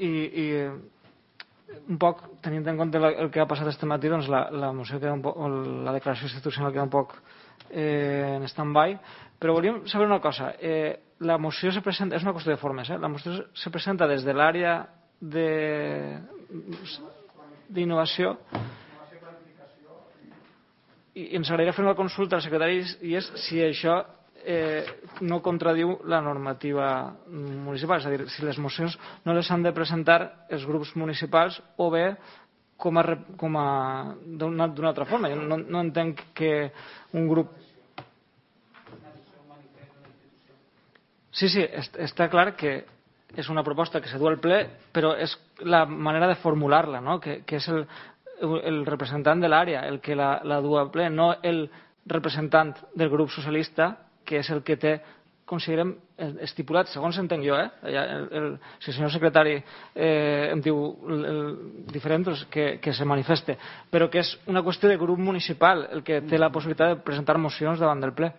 i un poc, tenint en compte el que ha passat este matí, doncs la moció queda un poc, la declaració institucional queda un poc en stand-by, però volíem saber una cosa. La moció se presenta, és una qüestió de formes, la moció se presenta des de l'àrea d'innovació i ens agradaria fer una consulta al secretari i és si això no contradiu la normativa municipal, és a dir, si les mocions no les han de presentar els grups municipals o bé d'una altra forma. Jo no entenc que un grup... Sí, està clar que és una proposta que se du al ple, però és la manera de formular-la, no? Que és el representant de l'àrea el que la du al ple, no el representant del grup socialista, que és el que té, considerem, estipulat, segons entenc jo, si el senyor secretari em diu diferent, doncs que se manifeste, però que és una qüestió de grup municipal el que té la possibilitat de presentar mocions davant del ple.